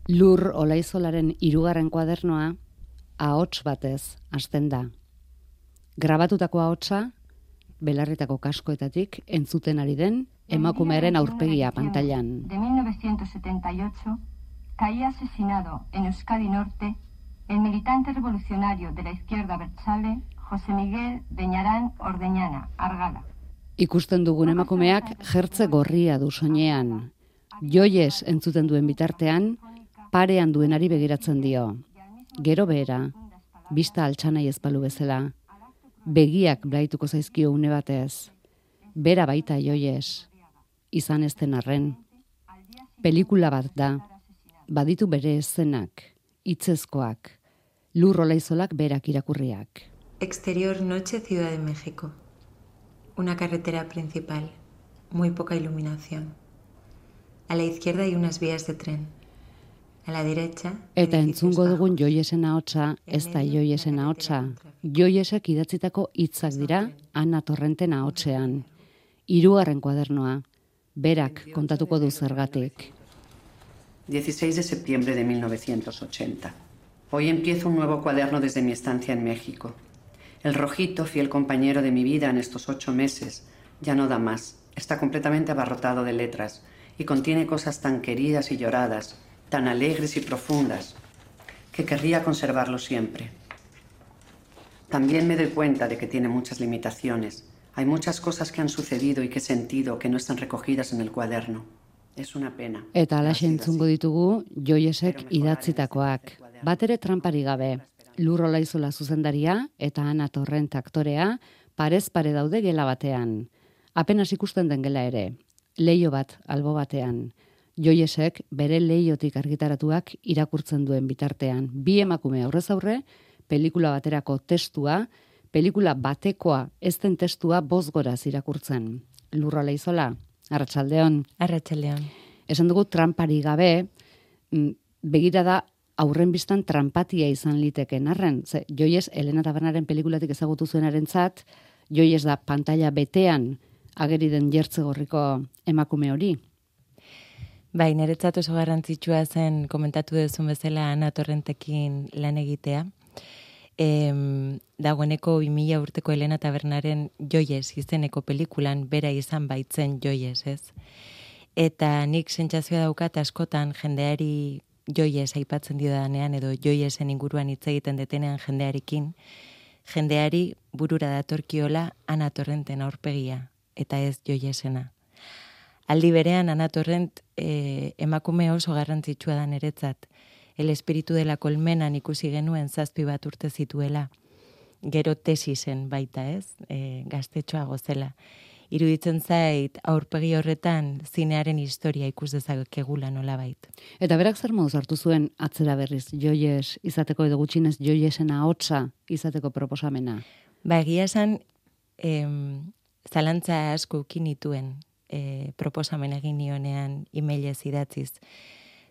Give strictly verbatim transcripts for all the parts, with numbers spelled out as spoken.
Lur Olaizolaren hirugarren kuadernoa ahots batez hasten da. Grabatutako ahotsa belarritako kaskoetatik entzuten ari den emakumearen aurpegia pantailan. De mil novecientos setenta y ocho caía asesinado en Euskadi Norte el militante revolucionario de la izquierda abertzale José Miguel Beñarán Ordeñana, Argala. Ikusten dugun emakumeak jertze gorria du soinean. Joies entzuten duen bitartean, parean duenari begiratzen dio. Gero behera, bista altxanai ezpalu bezala. Begiak blaituko zaizkio une batez. Bera baita Joies, izan ez den arren. Pelikula bat da, baditu bere eszenak, hitzezkoak, Lur Olaizolak berak irakurriak. Exterior noche, Ciudad de México. Una carretera principal, muy poca iluminación. A la izquierda hay unas vías de tren. A la derecha... Eta entzungo dugun Joiesen ahotsa, ez da Joiesen ahotsa. Joiesek idatzitako hitzak dira Ana Torrenten ahotsean. Hirugarren kuadernoa, berak kontatuko du zergatik. dieciséis de septiembre de mil novecientos ochenta. Hoy empiezo un nuevo cuaderno desde mi estancia en México. El rojito, fiel compañero de mi vida en estos ocho meses, ya no da más. Está completamente abarrotado de letras y contiene cosas tan queridas y lloradas, tan alegres y profundas, que querría conservarlo siempre. También me doy cuenta de que tiene muchas limitaciones. Hay muchas cosas que han sucedido y que he sentido que no están recogidas en el cuaderno. Es una pena. Eta alaxe entzungo ditugu Joiesek idatzitakoak. Batere trampari gabe. Lur Olaizola zuzendaria eta Ana Torrent aktorea parez pare daude gela batean. Apenas ikusten den gela ere. Leio bat albo batean. Joiesek bere leiotik argitaratuak irakurtzen duen bitartean. Bi emakume aurrez aurre, pelikula baterako testua, pelikula batekoa ez den testua bozgoraz irakurtzen. Lur Olaizola, arratsaldeon. Arratsaldeon. Esan dugu trampari gabe, begirada aurren biztan trampatia izan liteken arren. Ze, Joies Elena Tabernaren pelikulatik ezagutu zuenarentzat, Joies da pantalla betean ageri den jertze gorriko emakume hori. Bai, niretzat oso garrantzitsua zen komentatu duzun bezala Ana Torrentekin lan egitea. Em, dagoeneko bi mila urteko Elena Tabernaren Joies izeneko pelikulan bera izan baitzen Joies, ez? Eta nik sentsazioa daukat askotan jendeari Joies aipatzen diodanean edo Joiesen inguruan hitz egiten detenean jendearekin, jendeari burura datorkiola Ana Torrenten aurpegia eta ez Joiesena. Aldi berean Ana Torrent eh, emakume oso garrantzitsua da niretzat. El espiritu de la colmenan ikusi genuen zazpi bat urte zituela. Gero tesisen baita, ez? E, gaztetxoa gozela. Iruditzen zait aurpegi horretan zinearen historia ikus dezakegula nolabait. Eta berak zer moduz hartu zuen atzera berriz Joies izateko edo gutxinez Joiesen ahotsa izateko proposamena? Ba, egia esan em, zalantza asko ukin nituen e, proposamen egin nionean emailez idatziz.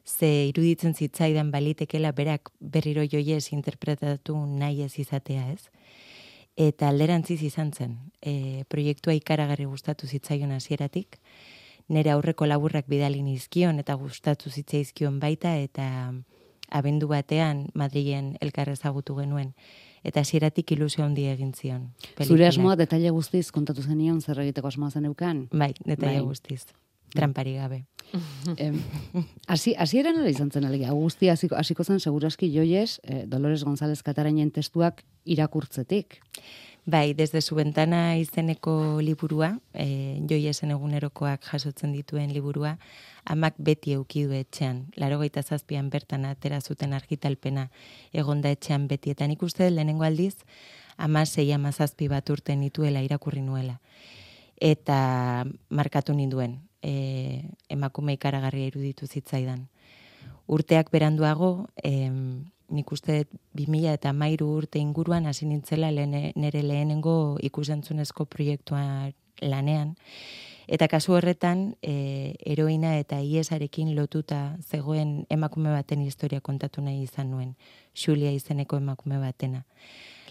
Ze iruditzen zitzaidan balitekela berak berriro Joies interpretatu nahi ez izatea, ez? Eta alderantziz izan zen. E, proiektua ikaragarri gustatu zitzaion hasieratik. Nere aurreko laburrak bidali nizkion eta gustatu zitzaizkion baita eta abendu batean Madrilen elkar ezagutu genuen. Eta hasieratik ilusio handia egin zion. Pelikulak. Zure asmoa detaile guztiz kontatu zenion zer egiteko asmoa zeneukan? Bai, detaile bai. Guztiz. Trampari gabe. Hasi hasieran nola izan zen alegia? Guzti hasiko hasiko zen segurazki Joies eh, Dolores González Catarainen testuak irakurtzetik. Bai, desde su ventana izeneko liburua, eh, Joiesen egunerokoak jasotzen dituen liburua, amak beti eduki du etxean. Laurogeita zazpian bertan atera zuten argitalpena egonda etxean beti. Eta nik uste lehenengo aldiz, ama sei ama zazpi bat urte nituela irakurri nuela. Eta markatu ninduen. E, emakume ikaragarria iruditu zitzaidan. Urteak beranduago, em, nik uste bi mila eta hamairu urte inguruan hasi nintzela lehene, nere lehenengo ikusentzunezko proiektua lanean. Eta kasu horretan, e, heroina eta iesarekin lotuta zegoen emakume baten historia kontatu nahi izan nuen. Xulia izeneko emakume batena.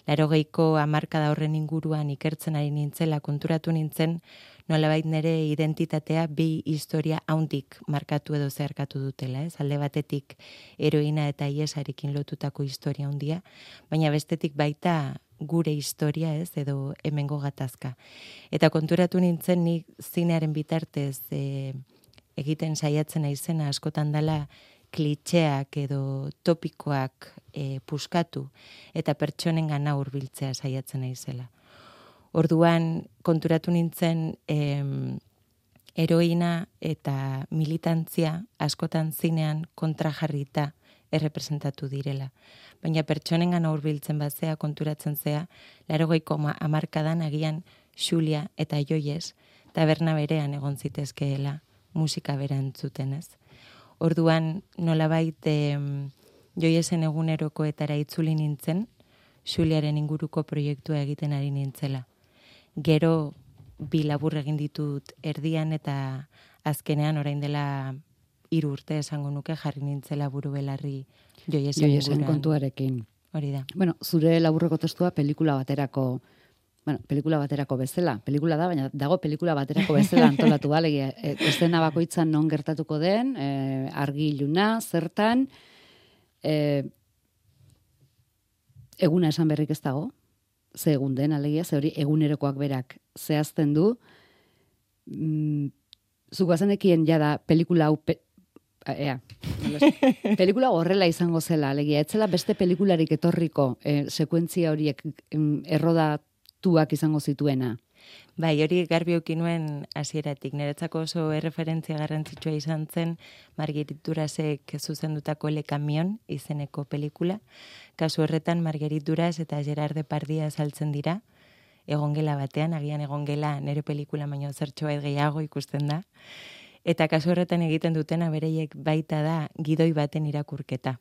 Laurogeiko hamarkada horren inguruan ikertzen ari nintzela konturatu nintzen nolabait nire identitatea bi historia haundik markatu edo zeharkatu dutela, ez? Alde batetik heroina eta iesarekin lotutako historia handia, baina bestetik baita gure historia, ez, edo hemengo gatazka. Eta konturatu nintzen nik zinearen bitartez e, egiten saiatzen naizena askotan dela klitxeak edo topikoak e, puskatu eta pertsonengana hurbiltzea saiatzen naizela. Orduan konturatu nintzen em, heroina eta militantzia askotan zinean kontrajarrita errepresentatu direla. Baina pertsonengan hurbiltzen bazea konturatzen zea, laurogeiko hamarkadan agian Xulia eta Joies taberna berean egon zitezkeela musika bera entzuten, ez? Orduan nolabait em, Joiesen egunerokoetara itzuli nintzen, Xuliaren inguruko proiektua egiten ari nintzela. Gero bi labur egin ditut erdian eta azkenean orain dela hiru urte esango nuke jarri nintzela buru belarri Joiesen, Joiesen kontuarekin. Hori da. Bueno, zure laburreko testua pelikula baterako, bueno, pelikula baterako bezala, pelikula da, baina dago pelikula baterako bezala antolatu balegia. E, eszena bakoitzan non gertatuko den, e, argi iluna, zertan, e, eguna esan berrik ez dago, ze egun den, alegia, ze hori egunerokoak berak zehazten du, mm, zugazenekien jada pelikula hau, pe, ea, pelikula horrela izango zela, alegia, etzela beste pelikularik etorriko e, sekuentzia horiek em, errodatuak izango zituena. Bai, hori garbi eduki nuen hasieratik. Niretzako oso erreferentzia garrantzitsua izan zen Marguerite Durasek zuzendutako Le Camion izeneko pelikula. Kasu horretan Marguerite Duras eta Gerard Depardieu azaltzen dira, egongela batean, agian egongela nire pelikula baino zertxobait gehiago ikusten da. Eta kasu horretan egiten dutena bereiek baita da gidoi baten irakurketa.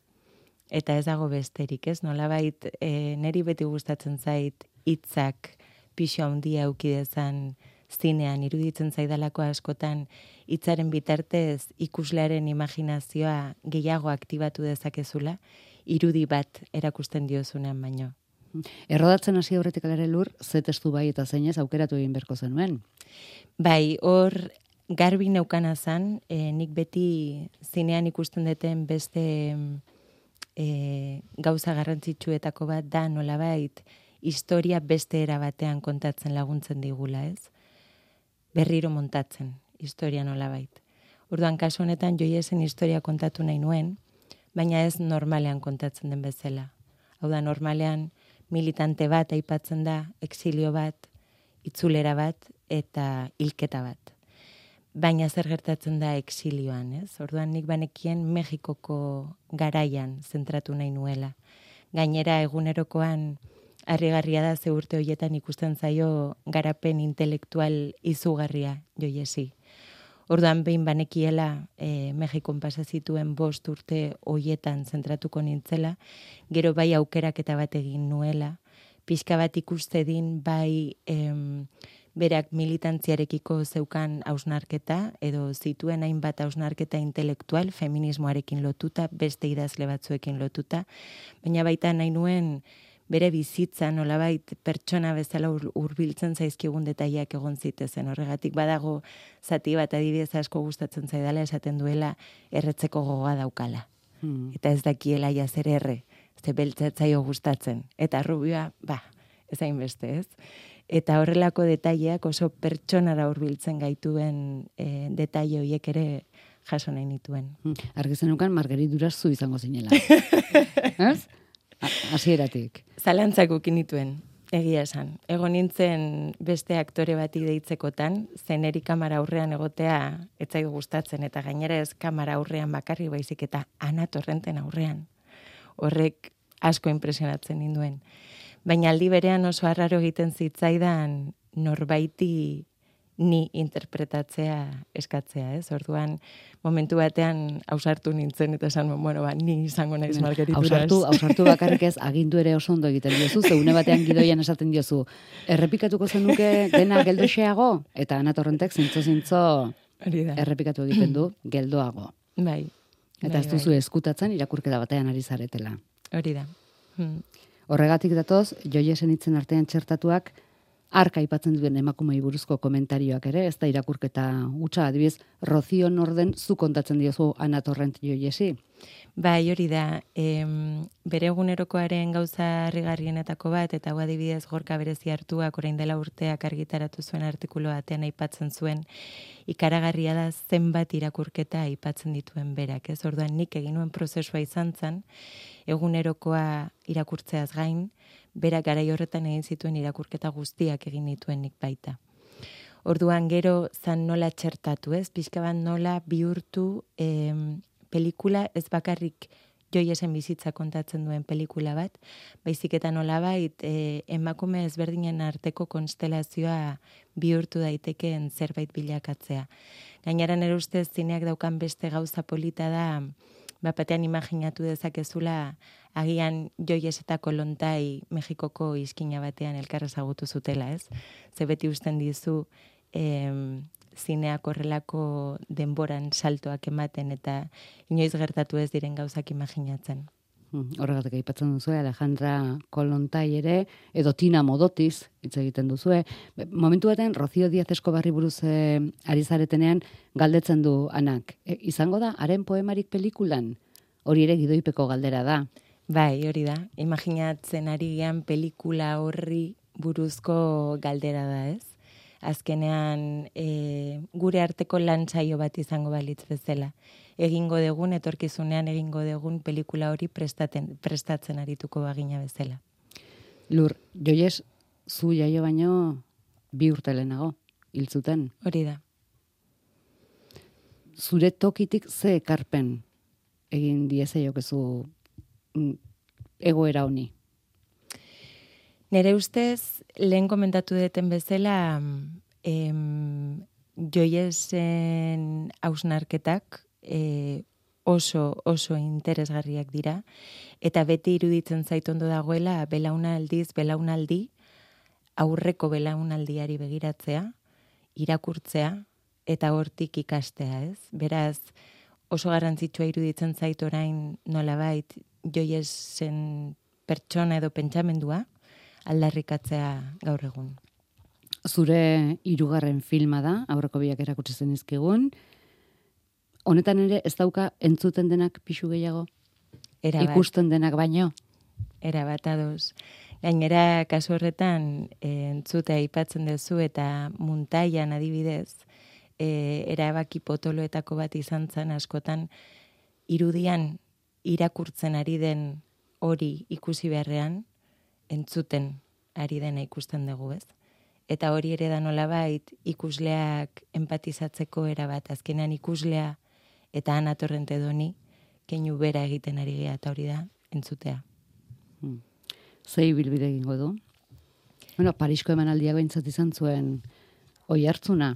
Eta ez dago besterik, ez? Nolabait e, niri beti gustatzen zait hitzak pixo handia auki dezan zinean, iruditzen zaidalako askotan hitzaren bitartez ikuslearen imaginazioa gehiago aktibatu dezakezula, irudi bat erakusten diozunean baino. Errodatzen hasi aurretik alare Lur, ze testu bai eta zeinez aukeratu egin berko zenuen? Bai, hor garbi neukana zan, e, nik beti zinean ikusten duten beste e, gauza garrantzitsuetako bat da nolabait historia beste era batean kontatzen laguntzen digula, ez? Berriro montatzen, historia nolabait. Orduan kasu honetan Joiesen historia kontatu nahi nuen, baina ez normalean kontatzen den bezala. Hau da, normalean militante bat aipatzen da, exilio bat, itzulera bat eta hilketa bat. Baina zer gertatzen da exilioan, ez? Orduan nik banekien Mexikoko garaian zentratu nahi nuela. Gainera egunerokoan harrigarria da ze urte hoietan ikusten zaio garapen intelektual izugarria Joiesi. Orduan behin banekiela e, Mexikon pasa zituen bost urte hoietan zentratuko nintzela, gero bai aukeraketa bat egin nuela, pixka bat ikuste din bai em, berak militantziarekiko zeukan hausnarketa, edo zituen hainbat hausnarketa intelektual, feminismoarekin lotuta, beste idazle batzuekin lotuta, baina baita nahi nuen bere bizitza nolabait pertsona bezala hurbiltzen zaizkigun detaileak egon zitezen. Horregatik badago zati bat adibidez asko gustatzen zaidala esaten duela erretzeko gogoa daukala. Hmm. Eta ez dakiela ja zer erre, ze beltzatzaio gustatzen. Eta rubioa, ba, ez hainbeste, ez? Eta horrelako detaileak oso pertsonara hurbiltzen gaituen e, detaile horiek ere jaso nahi nituen. Hmm. Argizenukan Marguerite Duras zu izango zinela. Ez? Hasieratik. Zalantzak ukin nituen, egia esan. Egon nintzen beste aktore bati deitzekotan, zeneri kamera aurrean egotea etzai gustatzen, eta gainera ez kamera aurrean bakarri baizik eta Ana Torrenten aurrean. Horrek asko impresionatzen ninduen. Baina aldi berean oso arraro egiten zitzaidan norbaiti ni interpretatzea eskatzea, ez? Orduan, momentu batean ausartu nintzen, eta esan, bueno, ba, ni izango naiz bueno, Marguerite Duras. Ausartu, ausartu bakarrik ez, agindu ere oso ondo egiten diozu, zeune batean gidoian esaten diozu, errepikatuko zenuke dena geldoxeago, eta Ana Torrentek zintzo-zintzo errepikatu egiten du geldoago. Bai. Eta bai, ez duzu bai. eskutatzen irakurketa batean ari zaretela. Hori da. Hmm. Horregatik datoz, Joiesen hitzen artean txertatuak, arka aipatzen duen emakumei buruzko komentarioak ere, ez da irakurketa hutsa, adibidez, Rocío Norden zu kontatzen diozu Ana Torrent Joyesi. Bai, hori da, em, bere egunerokoaren gauza harrigarrienetako bat, eta hau adibidez Gorka Berezi Hartuak orain dela urteak argitaratu zuen artikulu batean aipatzen zuen, ikaragarria da zenbat irakurketa aipatzen dituen berak, ez? Orduan nik egin nuen prozesua izan zen, egunerokoa irakurtzeaz gain, berak garai horretan egin zituen irakurketa guztiak egin dituen nik baita. Orduan gero zan nola txertatu, ez? Pixka bat nola bihurtu em, pelikula ez bakarrik Joyesen bizitza kontatzen duen pelikula bat, baizik eta nolabait e, emakume ezberdinen arteko konstelazioa bihurtu daitekeen zerbait bilakatzea. Gainera nire ustez zineak daukan beste gauza polita da, bapatean imaginatu dezakezula agian Joyes eta Kolontai Mexikoko iskina batean elkar ezagutu zutela, ez? Ze beti usten dizu em, zineak horrelako denboran saltoak ematen eta inoiz gertatu ez diren gauzak imaginatzen. Horregatik aipatzen duzu, Alejandra Kolontai ere, edo Tina Modotiz hitz egiten duzue. Momentu baten, Rocío Díaz Escobarri buruz eh, ari zaretenean galdetzen du Anak. E, izango da, haren poemarik pelikulan? Hori ere gidoipeko galdera da. Bai, hori da. Imaginatzen ari gean pelikula horri buruzko galdera da, ez? Azkenean e, gure arteko lantzaio bat izango balitz bezala. Egingo degun, etorkizunean egingo degun pelikula hori prestaten, prestatzen arituko bagina bezala. Lur, Joyes, zu jaio baino bi urte lehenago, hil zuten. Hori da. Zure tokitik ze ekarpen egin dieze jokezu egoera honi? Nere ustez, lehen komentatu deten bezala, em, Joyesen hausnarketak e, oso, oso interesgarriak dira, eta beti iruditzen zait ondo dagoela belaunaldiz, belaunaldi, aurreko belaunaldiari begiratzea, irakurtzea, eta hortik ikastea, ez? Beraz, oso garrantzitsua iruditzen zait orain nolabait Joyesen pertsona edo pentsamendua, aldarrikatzea gaur egun. Zure hirugarren filma da, aurreko biak erakutsi zenizkigun. Honetan ere ez dauka entzuten denak pixu gehiago? Erabat. Ikusten denak baino? Erabat ados. Gainera, kasu horretan, e, entzutea aipatzen duzu eta Muntaian adibidez, e, erabaki potoloetako bat izan zen askotan, irudian irakurtzen ari den hori ikusi beharrean, entzuten ari dena ikusten dugu, ez? Eta hori ere da nolabait ikusleak empatizatzeko erabat, azkenean ikuslea eta Ana Torrent Edoni keinu bera egiten ari gea, eta hori da entzutea. Hmm. Zei bilbide egingo du? Bueno, Parisko emanaldia behintzat izan zuen oi hartzuna.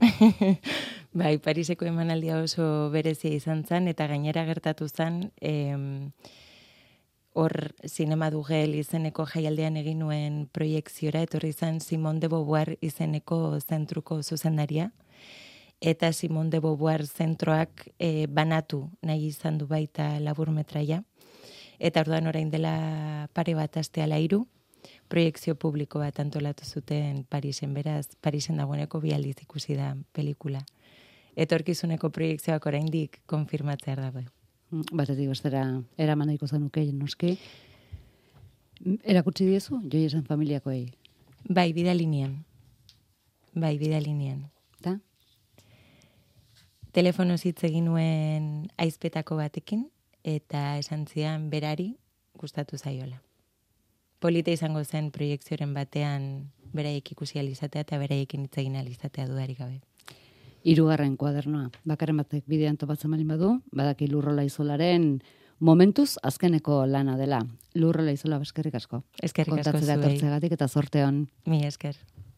Bai, Pariseko emanaldia oso berezia izan zen, eta gainera gertatu zen, em, hor Zinema Dugel izeneko jaialdean egin nuen proiekziora, etorri zen Simone de Beauvoir izeneko zentruko zuzendaria, eta Simone de Beauvoir zentroak e, banatu nahi izan du baita laburmetraia, eta orduan orain dela pare bat aste ala hiru, proiekzio publiko bat antolatu zuten Parisen, beraz, Parisen dagoeneko bi aldiz ikusi da pelikula. Etorkizuneko proiekzioak oraindik konfirmatzea dago. Batetik bestera eraman daiko zenuke, noski. Erakutsi diezu, Joyesen familiakoei? Bai, bidalinean. Bai, bidalinean. Ta? Telefonoz hitz egin nuen aizpetako batekin, eta esan zidan berari gustatu zaiola. Polita izango zen proiekzioren batean beraiek ikusi alizatea eta beraiekin hitz egin alizatea dudarik gabe. Hirugarren kuadernoa. Bakaren batek bidean topatzen malin badu, badaki Lurrola Izolaren momentuz azkeneko lana dela. Lurrola Izola, eskerrik asko. Eskerrik asko zuei. Kontatzera tortzegatik eta zorte hon. Mi esker.